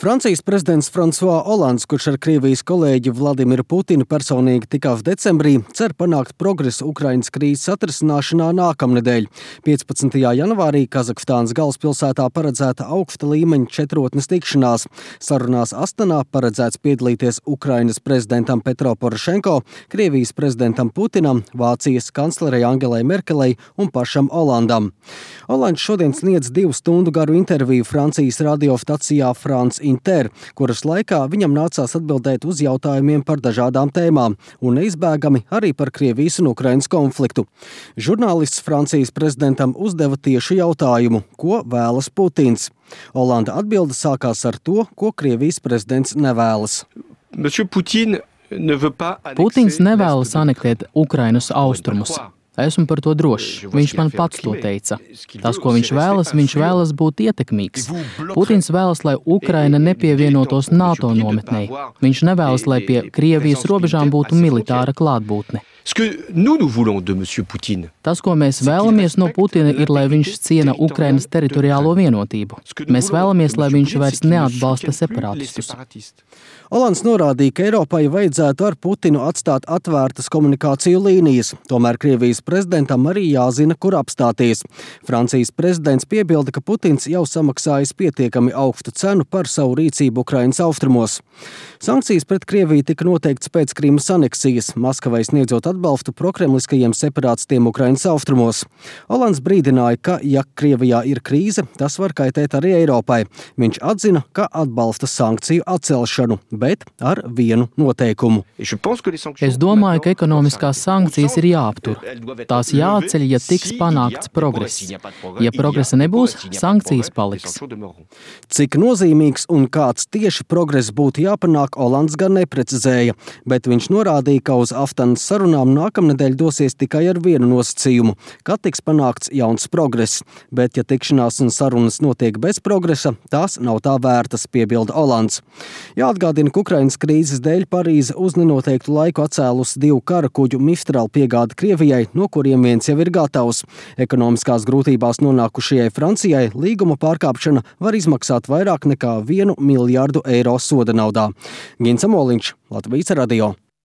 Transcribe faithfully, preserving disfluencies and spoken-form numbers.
Francijas prezidents François Hollands, kurš ar Krievijas kolēģi Vladimiru Putinu personīgi tikās decembrī, cer panākt progresu Ukrainas krīzes atrisināšanā nākamnedēļ. piecpadsmitajā janvārī Kazahstānas galvaspilsētā paredzēta augsta līmeņa četrotnes tikšanās. Sarunās Astanā paredzēts piedalīties Ukrainas prezidentam Petro Porošenko, Krievijas prezidentam Putinam, Vācijas kanclerei Angelai Merkelei un pašam Hollandam. Hollands šodien sniedz divu stundu garu interviju Francijas radiostacijā France Inter, kuras laikā viņam nācās atbildēt uz jautājumiem par dažādām tēmām un neizbēgami arī par Krievijas un Ukrainas konfliktu. Žurnālists Francijas prezidentam uzdeva tiešu jautājumu, ko vēlas Putins. Hollanda atbilde sākās ar to, ko Krievijas prezidents nevēlas. Putins nevēlas anektēt Ukrainas austrumus. Esmu par to drošs. Viņš man pats to teica. Tas, ko viņš vēlas, viņš vēlas būt ietekmīgs. Putins vēlas, lai Ukraina nepievienotos NATO nometnei. Viņš nevēlas, lai pie Krievijas robežām būtu militāra klātbūtne. Tas, ko mēs vēlamies no Putina, ir, lai viņš ciena Ukrainas teritoriālo vienotību. Mēs vēlamies, lai viņš vairs neatbalsta separatistus. Hollands norādīja, ka Eiropai vajadzētu ar Putinu atstāt atvērtas komunikāciju līnijas. Tomēr Krievijas prezidentam arī jāzina, kur apstāties. Francijas prezidents piebilda, ka Putins jau samaksājis pietiekami augstu cenu par savu rīcību Ukrainas austrumos. Sankcijas pret Krieviju tika noteikts pēc Krimas aneksijas, Maskavai sniedzot atbalstu prokremliskajiem separātistiem Ukrainas austrumos. Hollands brīdināja, ka, ja Krievijā ir krīze, tas var kaitēt arī Eiropai. Viņš atzina, ka atbalsta sankciju atcelšanu, bet ar vienu noteikumu. Es domāju, ka ekonomiskās sankcijas ir jāaptur. Tās jāceļ, ja tiks panākts progress. Ja progresa nebūs, sankcijas paliks. Cik nozīmīgs un kāds tieši progress būtu jāpanāk, Hollands gan neprecizēja, bet viņš norādīja, ka uz Astanas sarunām nākamnedēļ dosies tikai ar vienu nosacījumu, ka tiks panākts jauns progress. Bet, ja tikšanās un sarunas notiek bez progresa, tās nav tā vērtas, piebilda Hollands. Jāatgādina, ka Ukrainas krīzes dēļ Parīze uz nenoteiktu laiku atcēlusi divu kara kuģu Mistral piegādi Krievijai, no kuriem viens jau ir gatavs. Ekonomiskās grūtībās nonākušajai Francijai līguma pārkāpšana var izmaksāt vairāk nekā vienu miljārdu eiro soda naudā. Gins Amoliņš, Latvijas radio.